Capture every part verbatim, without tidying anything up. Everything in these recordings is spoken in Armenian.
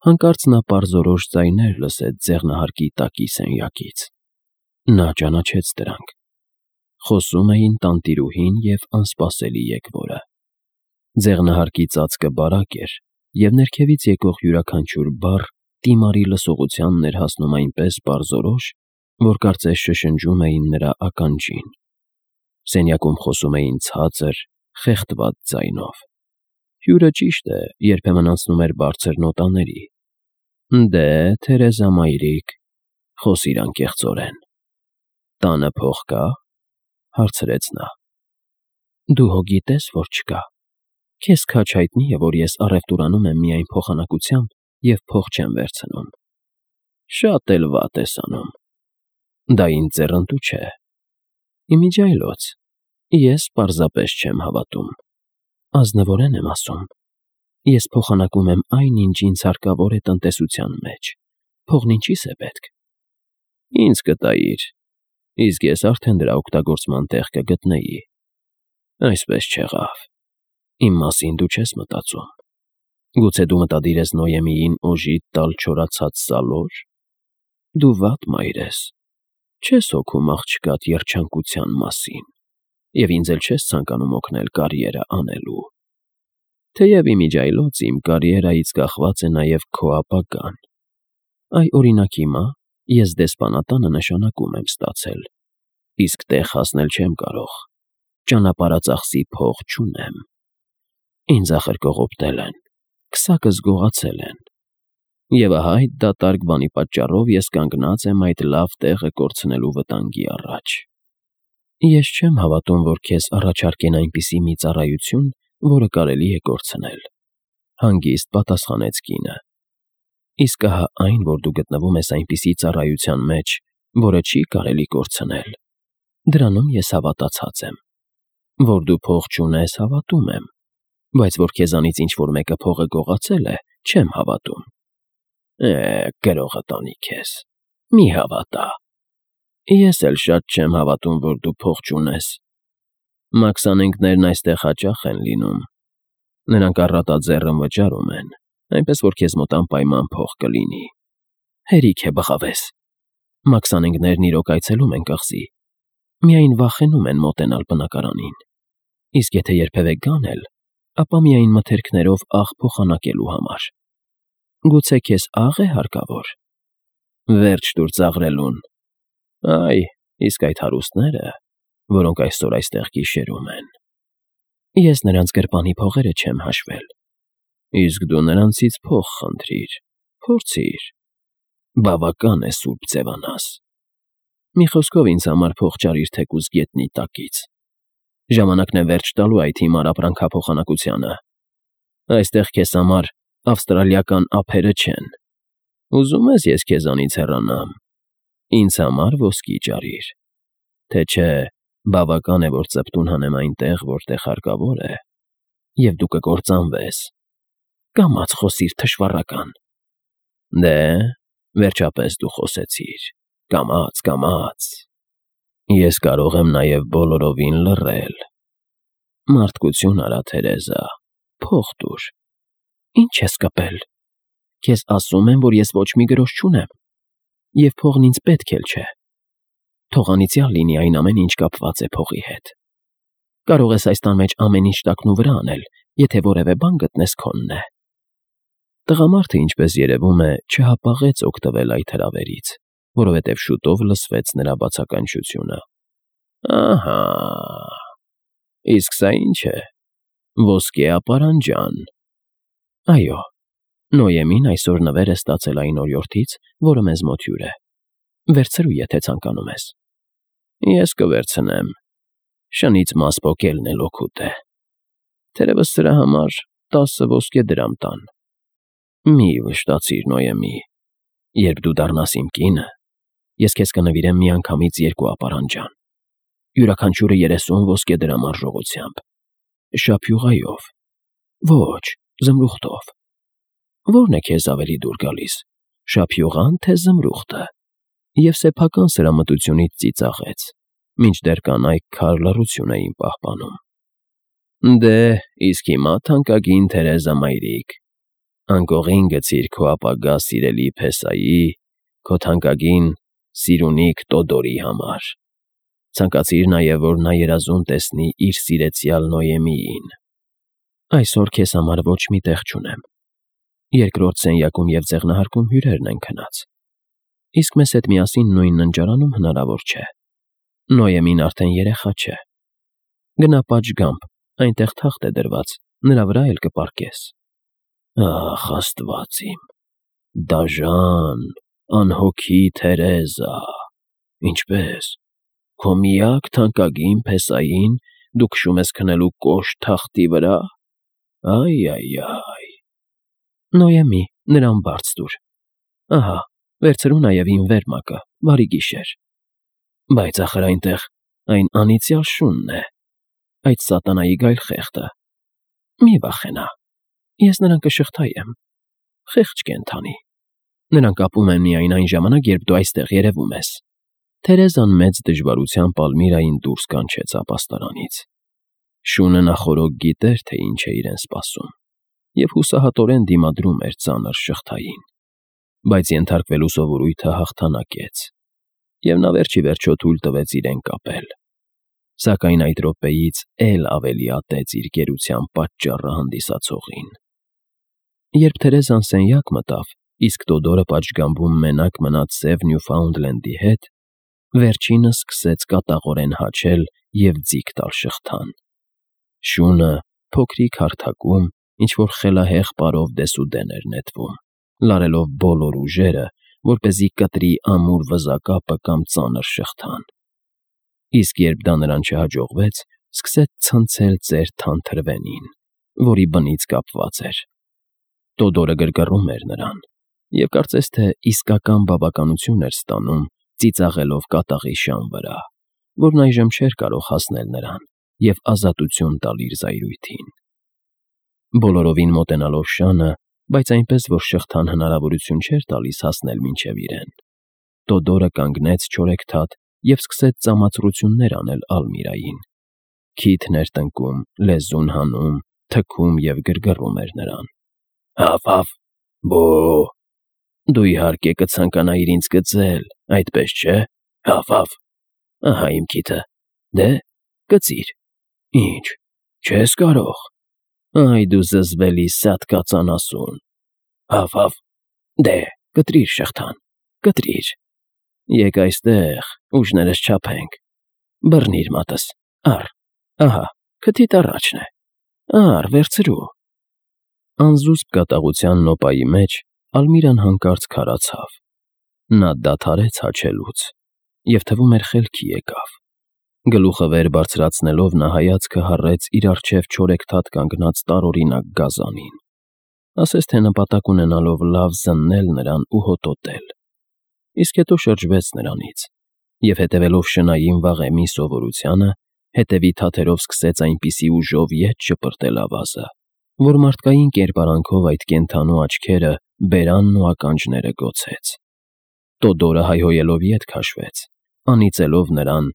Հանկարծ նա պարզորոշ ձայներ լսեց ձեղնահարկի տակի սենյակից։ Նա ճանաչեց դրանք. խոսում էին տանտիրուհին և անսպասելի եկվորը։ Ձեղնահարկի ծածկը բարակ էր, և ներքևից եկող յուրաքանչյուր բառ դիմարի լսողությանն էր հասնում այնպես պարզորոշ, որ կարծես շշնջում էին նրա ականջին։ Սենյակում խոսում էին ցածր, խեղդված ձայնով։ Հյուրը, ճիշտ է, երբեմն անցնում էր բարձր նոտաների։ Դե, Թերեզա մայրիկ, խոսիր անկեղծորեն։ Տանը փող կա՞, հարցրեց նա։ Դու հո գիտես, որ չկա։ Քեզ քաջ հայտնի է, որ ես առևտուրանում եմ միայն փոխանակությամբ և փող չեմ վերցնում։ Շատ էլ վատ ես անում։ Դա ինձ ձեռնտու չէ։ Իմիջիայլոց, ես պարզապես չեմ հավատում։ Ազնվորեն եմ ասում։ Ես փոխանակում եմ այն, ինչ ինձ հարկավոր է տնտեսության մեջ։ Փողն ինչի՞ս է պետք։ Ինձ կտայիր, իսկ ես արդեն դրա օգտագործման տեղ կգտնեի։ Այսպես չեղավ։ Իմ մասին դու չես մտածում։ Գուցե դու մտադիր ես Նոյեմիին օժիտ տալ չորացած սալոր։ Դու վատ մայր ես։ Չես հոգում աղջկադ երջանկության մասին, և ինձ էլ չես ցանկանում օգնել կարիերա անելու։ Թեև իմիջիայլոց իմ կարիերայից կախված է նաև քո ապագան։ Այ, օրինակ, հիմա ես դեսպանատանը նշանակում եմ ստացել, իսկ տեղ հասնել չեմ կարող, ճանապարհածախսի փող չունեմ։ Ինձ ախր կողոպտել են, քսակս գողացել են։ Եվ ահա այդ դատարկ բանի պատճառով ես կանգնած եմ այդ լավ տեղը կորցնելու վտանգի առաջ։ Ես չեմ հավատում, որ քեզ առաջարկեն այնպիսի մի ծառայություն, որը կարելի է կորցնել, հանգիստ պատասխանեց կինը։ Իսկ ահա այն, որ դու գտնվում ես այնպիսի ծառայության մեջ, որը չի կարելի կորցնել, դրանում ես հավատացած եմ։ Որ դու փող չունես, հավատում եմ, բայց որ քեզանից ինչ-որ մեկը փողը գողացել է, չեմ հավատում։ Է, գրողը տանի քեզ, մի հավատա։ Ես էլ շատ չեմ հավատում, որ դու փող չունես։ Մաքսանենկներն այստեղ հաճախ են լինում։ Նրանք առատաձեռն վճարում են, այնպես որ քեզ մոտ անպայման փող կլինի։ Հերիք է բղավես։ Մաքսանենկներն իրոք այցելում են կղզի, միայն վախենում են մոտենալ բնակարանին։ Իսկ եթե երբևէ գան էլ, ապա միայն մթերքներով աղ փոխանակելու համար։ Գուցե քեզ աղ է հարկավոր։ Վերջ տուր ծաղրելուն։ Այ, իսկ այդ հարուստները, որոնք այսօր այստեղ գիշերում են։ Ես նրանց գրպանի փողերը չեմ հաշվել։ Իսկ դու նրանցից փող խնդրիր, փորձիր։ Բավական է սուրբ ձևանաս։ Մի խոսքով ինձ համար փող ճարիր թեկուզ գետնի տակից։ Ժամանակն է վերջ տալու այդ հիմար ապրանքափոխանակությանը։ Այստեղ քեզ համար ավստրալիական ափերը չեն։ Ուզում ես ես քեզանից հեռանամ։ Ինձ համար ոսկի ճարիր։ Թե չէ, բավական է, որ ծպտուն հանեմ այնտեղ, որտեղ հարկավոր է, և դու կկործանվես։ Կամաց խոսիր, թշվառական։ Դե, վերջապես դու խոսեցիր։ Կամաց, կամաց։ Ես կարող եմ նաև բոլորովին լռել։ Մարդկություն արա, Թերեզա, փող տուր։ Ինչ ես կպել։ Քեզ ասում եմ, որ ես ոչ մի գրոշ չունեմ, և փողն ինձ պետք էլ չէ։ Թող անիծյալ լինի այն ամեն ինչ կապված է փողի հետ։ Կարող ես այս տան մեջ ամեն ինչ տակնուվրա անել, եթե որևէ բան գտնես քոնն է։ Տղամարդը, ինչպես երևում է, չհապաղեց օգտվել այդ հրավերից, որովհետև շուտով լսվեց նրա բացականչությունը։ Ահա, իսկ սա ի՞նչ է։ Ոսկե ապարանջան։ Այո, Նոյեմին այսօր նվեր է ստացել այն օրիորդից, որը մեզ մոտ հյուր է։ Վերցրու, եթե ցանկանում ես։ Ես կվերցնեմ։ Շնից մաս պոկելն էլ օգուտ է։ Թերևս սրա համար տասը ոսկե դրամ տան։ Մի վշտացիր, Նոյեմի։ Երբ դու դառնաս իմ կինը, ես քեզ կնվիրեմ միանգամից երկու ապարանջան։ Յուրաքանչյուրը երեսուն ոսկե դրամ արժողությամբ։ Շափյուղայով։ Ոչ, զմրուխտով։ Ո՞րն է քեզ ավելի դուր գալիս, շափյուղան, թե զմրուխտը։ Եվ սեփական սրամտությունից ծիծաղեց, մինչդեռ կանայք քար լռություն էին պահպանում։ Դե, իսկ հիմա, թանկագին Թերեզա մայրիկ, Անկողին գցիր քո ապագա սիրելի Փեսայի, քո թանկագին սիրունիկ Տոդորի համար։ Ցանկացիր նաև, որ նա երազում տեսնի իր սիրեցյալ Նոյեմիին։ Այսօր քեզ համար ոչ մի տեղ չունեմ։ Երկրորդ սենյակում և ձեղնահարկում հյուրերն են քնած, իսկ մեզ հետ միասին նույն ննջարանում հնարավոր չէ։ Նոյեմին արդեն երեխա չէ։ Գնա պատշգամբ, այնտեղ թախտ է դրված, նրա վրա էլ կպառկես։ Ախ, Աստված իմ, դաժան, անհոգի Թերեզա, ինչպե՞ս, քո միակ թանկագին Փեսային դու քշում ես քնելու կոշտ թախտի վրա։ Այ֊այ֊այ… Նոյեմի, նրան բարձ տուր։ Ահա, վերցրու նաև իմ վերմակը, բարի գիշեր։ Բայց ախր այնտեղ այն անիծյալ շունն է, այդ սատանայի գայլխեղդը։ Մի վախենա, ես նրան կշղթայեմ, խեղճ կենդանի։ Նրան կապում են միայն այն ժամանակ, երբ դու այստեղ երևում ես։ Թերեզան մեծ դժվարությամբ Ալմիրային դուրս կանչեց ապաստարանից։ Շունը նախօրոք գիտեր, թե ինչ է իրեն սպասում, և հուսահատորեն դիմադրում էր ծանր շղթային, բայց ենթարկվելու սովորույթը հաղթանակեց, և նա վերջ ի վերջո թույլ տվեց իրեն կապել։ Սակայն այդ րոպեից էլ ավելի ատեց իր գերության պատճառը հանդիսացողին։ Երբ Թերեզան սենյակ մտավ, իսկ Տոդորը պատշգամբում մենակ մնաց սև Նյուֆաունդլենդի հետ, վերջինը սկսեց կատաղորեն հաչել և ձիգ տալ շղթան։ Շունը, փոքրիկ հարթակում, ինչ-որ խելահեղ պարով դեսուդեն էր նետվում, լարելով բոլոր ուժերը, որպեսզի կտրի ամուր վզակապը կամ ծանր շղթան։ Իսկ երբ դա նրան չհաջողվեց, սկսեց ցնցել ծեր թանթրվենին, որի բնից կապված էր։ Տոդորը գրգռում էր նրան, և կարծես թե իսկական բավականություն էր ստանում, ծիծաղելով կատաղի շան վրա, որն այժմ չէր կարող հասնել նրան և ազատություն տալ իր զայրույթին։ Բոլորովին մոտենալով շանը, բայց այնպես, որ շղթան հնարավորություն չէր տալիս հասնել մինչև իրեն, Տոդորը կանգնեց չորեքթաթ և սկսեց ծամացրություններ անել Ալմիրային։ Քիթն էր տնկում, լեզուն հանում, թքում և գրգռում էր նրան։ Հավ֊հավ, բո՜… Դու իհարկե կցանկանայիր ինձ գծել, այդպես չէ՞։ Հավ֊հավ… Ահա իմ քիթը, դե, կծիր։ Ինչ, չես կարող։ Այ դու զզվելի սատկածանասուն։ Հավ֊հավ… Դե, կտրիր շղթան, կտրիր։ Եկ այստեղ, ուժներս չափենք։ Բռնիր մատս, առ, ահա, քթիդ առաջն է, առ, վերցրու։ Անզուսպ կատաղության նոպայի մեջ Ալմիրան հանկարծ քարացավ։ Նա դադարեց հաչելուց և, թվում էր, խելքի եկավ։ Գլուխը վեր բարձրացնելով նա հայացքը հառեց իր առջև չորեքթաթ կանգնած տարօրինակ գազանին, ասես թե նպատակ ունենալով լավ զննել նրան ու հոտոտել, իսկ հետո շրջվեց նրանից և, հետևելով շնային վաղեմի սովորությանը, հետևի թաթերով սկսեց այնպիսի ուժով ետ շպրտել ավազը, որ մարդկային կերպարանքով այդ կենդանու աչքերը, բերանն ու ականջները գոցեց։ Տոդորը հայհոյելով ետ քաշվեց, անիծելով նրան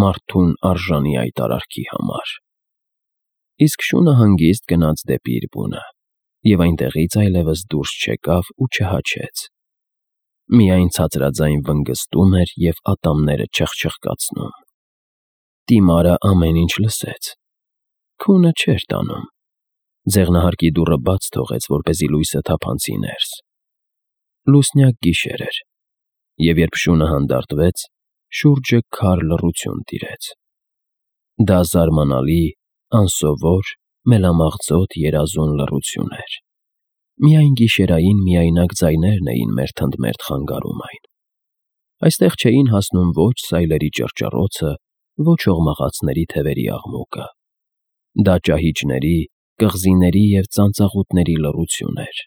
մարդուն արժանի այդ արարքի համար։ Իսկ շունը հանգիստ գնաց դեպի իր բունը և այնտեղից այլևս դուրս չեկավ ու չհաչեց։ Միայն ցածրաձայն վնգզտում էր և ատամները չխչխկացնում։ Տիմարը ամեն ինչ լսեց։ Քունը չէր տանում։ Ձեղնահարկի դուռը բաց թողեց, որպեսզի լույսը թափանցի ներս։ Լուսնյակ գիշեր էր, և երբ շունը հանդարտվեց, շուրջը քար լռություն տիրեց։ Դա զարմանալի, անսովոր, մելամաղձոտ երազուն լռություն էր։ Միայն գիշերային միայնակ ձայներն էին մերթընդմերթ խանգարում այն։ Այստեղ չէին հասնում ոչ սայլերի ճռճռոցը, ոչ օղմաղացների թևերի աղմուկը։ Դա ճահիճների, կղզիների և ծանծաղուտների լռություն էր։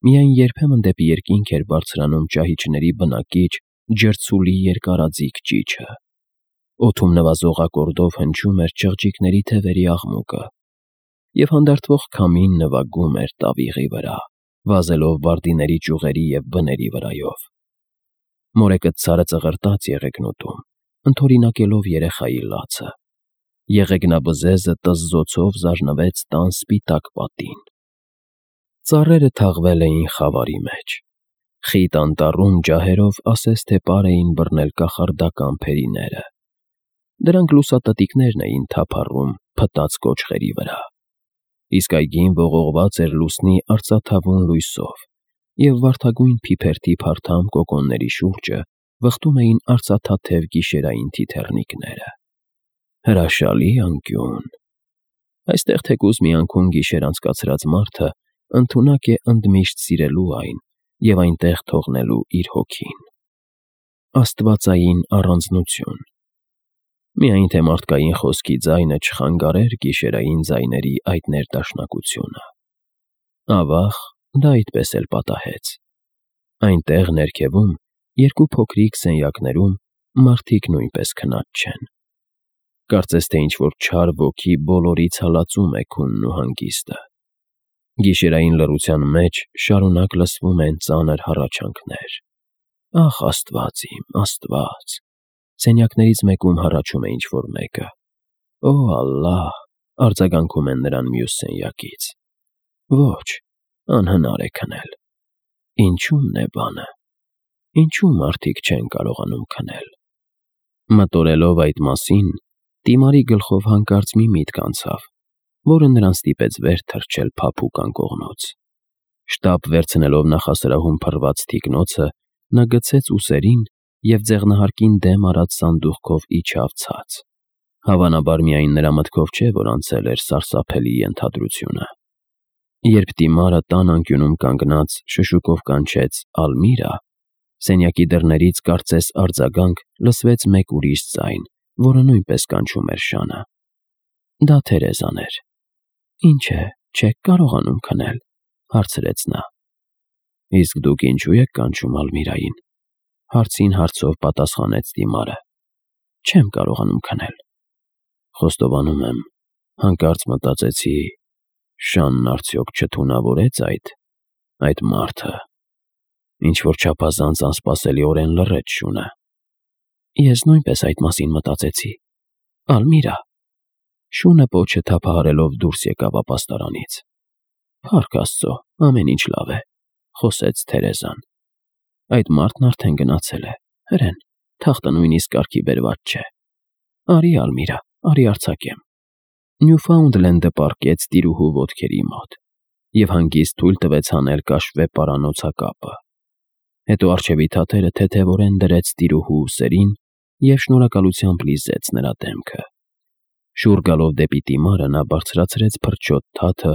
Միայն երբեմն դեպի երկինք էր բարձրանում ճահիճների բնակիչ, ջրցուլի երկարաձիգ ճիչը։ Օդում նվազող ակորդով հնչում էր չղջիկների թևերի աղմուկը, և հանդարտվող քամին նվագում էր տավիղի վրա, վազելով վարդիների ճյուղերի և բների վրայով։ Մորեկցարը ծղրտաց եղեգնուտում, ընդօրինակելով երեխայի լացը։ Եղեգնաբզեզը տզզոցով զարնվեց տան սպիտակ պատին։ Ծառերը թաղվել էին խավարի մեջ։ Խիտ անտառում ջահերով ասես թե պար էին բռնել կախարդական փերիները։ Դրանք լուսատտիկներն էին թափառում փտած կոճղերի վրա։ Իսկ այգին ողողված էր լուսնի արծաթավուն լույսով, և վարդագույն փիփերթի փարթամ կոկոնների շուրջը վխտում էին արծաթաթև գիշերային թիթեռնիկները։ Հրաշալի անկյուն։ Այստեղ թեկուզ մի անգամ գիշեր անցկացրած մարդը ընդունակ է ընդմիշտ սիրելու այն և այնտեղ թողնելու իր հոգին։ Աստվածային առանձնություն։ Միայն թե մարդկային խոսքի ձայնը չխանգարեր գիշերային ձայների այդ ներդաշնակությունը։ Ավաղ, դա այդպես էլ պատահեց։ Այնտեղ ներքևում, երկու փոքրիկ սենյակներում մարդիկ նույնպես քնած չեն։ Կարծես թե ինչ-որ չար ոգի բոլորից հալածում է քունն ու հանգիստը։ Գիշերային լռության մեջ շարունակ լսվում են ծանր հառաչանքներ. «Ախ, Աստված իմ, Աստված»։ Սենյակներից մեկում հառաչում է ինչ֊որ մեկը. «Օ Ալլահ», արձագանքում են նրան մյուս սենյակից։ Ոչ, անհնար է քնել։ Ինչու՞մն է բանը։ Ինչու՞ մարդիկ չեն կարողանում քնել։ Մտորելով այդ մասին, Տիմարի գլխով հանկարծ մի միտք անցավ, որը նրան ստիպեց վեր թռչել փափուկ անկողնուց։ Շտապ վերցնելով նախասրահում փռված թիկնոցը, նա գցեց ուսերին և ձեղնահարկին դեմ արած սանդուղքով իջավ ցած։ Հավանաբար միայն նրա մտքով չէ, որ անցել էր սարսափելի ենթադրությունը։ Երբ Տիմարը տան անկյունում կանգնած շշուկով կանչեց «Ալմիրա», սենյակի դռներից կարծես արձագանք լսվեց մեկ ուրիշ ձայն, որը նույնպես կանչում էր շանը։ Դա Թերեզան էր։ «Ինչ է, չեք կարողանում քնել», հարցրեց նա։ «Իսկ դուք ինչու եք կանչում Ալմիրային», հարցին հարցով պատասխանեց Տիմարը։ «Չեմ կարողանում քնել»։ Խոստովանում եմ, հանկարծ մտածեցի, շանն արդյոք չթունավորեց այդ, այդ մարդը։ Ինչ-որ չափազանց անսպասելիորեն լռեց շունը։ Ես նույնպես այդ մասին մտածեցի։ Ալմիրա։ Շունը պոչը թափահարելով դուրս եկավ ապաստարանից։ Փառք Աստծո, ամեն ինչ լավ է, խոսեց Թերեզան։ Այդ մարդն արդեն գնացել է, հրեն, թախտը նույնիսկ կարգի բերված չէ։ Արի, Ալմիրա, արի արձակեմ։ Նյուֆաունդլենդը պառկեց տիրուհու ոտքերի մոտ և հանգիստ թույլ տվեց հանել կաշվե պարանոցակապը։ Հետո առջևի թաթերը թեթևորեն դրեց տիրուհու ուսերին և շնորհակալությամբ լիզեց նրա դեմքը։ Շուռ գալով դեպի Տիմարը նա բարձրացրեց փրչոտ թաթը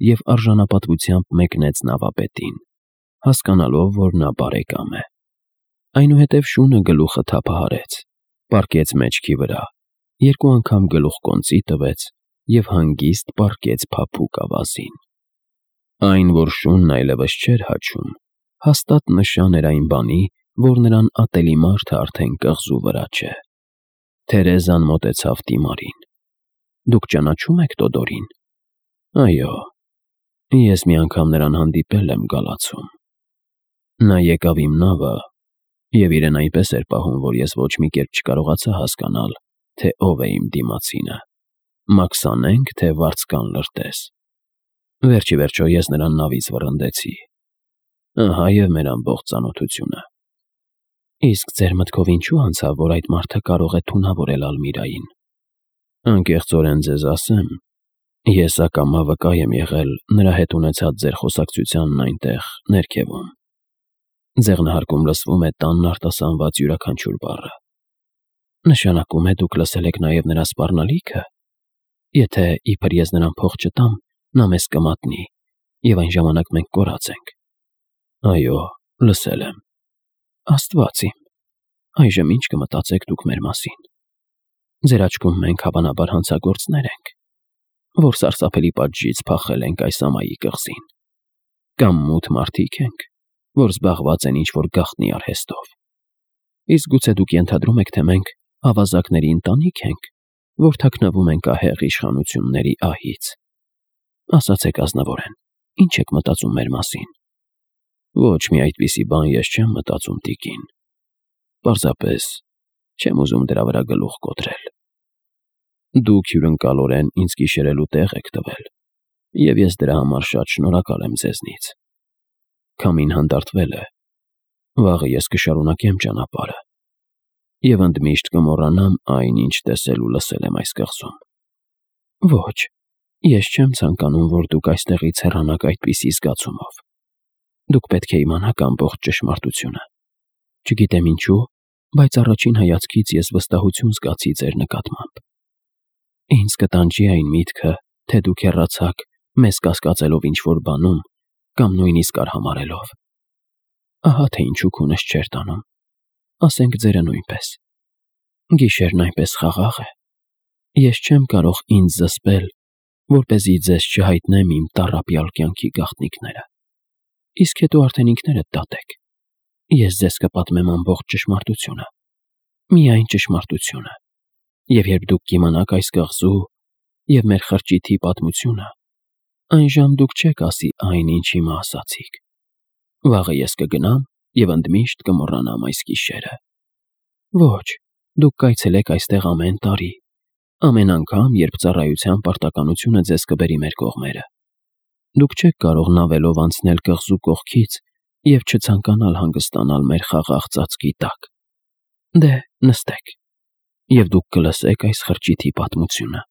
և արժանապատվությամբ մեկնեց նավապետին, հասկանալով, որ նա բարեկամ է։ Այնուհետև շունը գլուխը թափահարեց, պառկեց մեջքի վրա, երկու անգամ գլուխկոնծի տվեց և հանգիստ պառկեց փափուկ ավազին։ Այն, որ շունն այլևս չէր հաչում, հաստատ նշան էր այն բանի, որ նրան ատելի մարդը արդեն կղզու վրա չէ։ Թերեզան մոտեցավ Տիմարին։ Դուք ճանաչո՞ւմ եք Տոդորին։ Այո, ես մի անգամ նրան հանդիպել եմ գալացում։ Նա եկավ իմ նավը և իրեն այնպես էր պահում, որ ես ոչ մի կերպ չկարողացա հասկանալ, թե ով է իմ դիմացինը, Մաքսանե՞նք, թե վարձկան լրտես։ Վերջ ի վերջո ես նրան նավից վռնդեցի։ Ահա և մեր ամբողջ ծանոթությունը։ Իսկ ձեր մտքով ինչու անցավ, որ այդ մարդը կարող է թունավորել Ալմիրային։ Անկեղծորեն ձեզ ասեմ, ես ակամա վկա եմ եղել նրա հետ ունեցած ձեր խոսակցությանն այնտեղ, ներքևում։ Ձեղնահարկում լսվում է տանն արտասանված յուրաքանչյուր բառը։ Նշանակում է դուք լսել եք նաև նրա սպառնալիքը։ Եթե իբր ես նրան փող չտամ, նա մեզ կմատնի, և այն ժամանակ մենք կորած ենք։ Այո, լսել եմ։ Աստված իմ, այժմ ինչ կմտածեք դուք մեր մասին։ Ձեր աչքում մենք հավանաբար հանցագործներ ենք, որ սարսափելի պատժից փախել ենք այս ամայի կղզին։ Կամ մութ մարդիկ ենք, որ զբաղված են ինչ-որ գաղտնի արհեստով։ Իսկ գուցե դուք ենթադրում եք, թե մենք ավազակների ընտանիք ենք, որ թաքնվում ենք ահեղ իշխանությունների ահից։ Ասացեք ազնվորեն, ինչ եք մտածում մեր մասին։ Ոչ մի այդպիսի բան ես չեմ մտածում, տիկին։ Պարզապես չեմ ուզում դրա վրա գլուխ կոտրել։ Դուք հյուրընկալորեն ինձ գիշերելու տեղ եք տվել, Եվ ես դրա համար շատ շնորհակալ եմ ձեզնից։ Քամին հանդարտվել է, վաղը ես կշարունակեմ ճանապարհը և ընդմիշտ կմոռանամ այն, ինչ տեսել ու լսել եմ այս կղզում։ Ոչ, ես չեմ ցանկանում, որ դուք այստեղից հեռանաք այդպիսի զգացումով։ Դուք պետք է իմանաք ամբողջ ճշմարտությունը։ Չգիտեմ ինչու, բայց առաջին հայացքից ես վստահություն զգացի ձեր նկատմամբ։ Ինձ կտանջի այն միտքը, թե դուք հեռացաք, մեզ կասկածելով ինչ-որ բանում կամ նույնիսկ արհամարհելով։ Ահա թե ինչու քունս չէր տանում, ասենք ձերը նույնպես։ Գիշերն այնպես խաղաղ է։ Ես չեմ կարող ինձ զսպել, որպեսզի ձեզ չհայտնեմ իմ տառապյալ կյանքի գաղտնիքները։ Իսկ հետո արդեն ինքներդ դատեք։ Ես ձեզ կպատմեմ ամբողջ ճշմարտությունը, միայն ճշմարտությունը, և երբ դուք կիմանաք այս կղզու և մեր խրճիթի պատմությունը, այժմ դուք չեք ասի այն, ինչ հիմա ասացիք։ Վաղը ես կգնամ և ընդմիշտ կմոռանամ այս գիշերը։ Ոչ, դուք կայցելեք այստեղ ամեն տարի, ամեն անգամ, երբ ծառայության պարտականությունը ձեզ կբերի մեր կողմերը։ Դուք չեք կարող նավելով անցնել կղզու կողքից և չցանկանալ հանգստանալ մեր խաղաղ ծածկի տակ։ Դե, նստեք, և դուք կլսեք այս խրճիթի պատմությունը։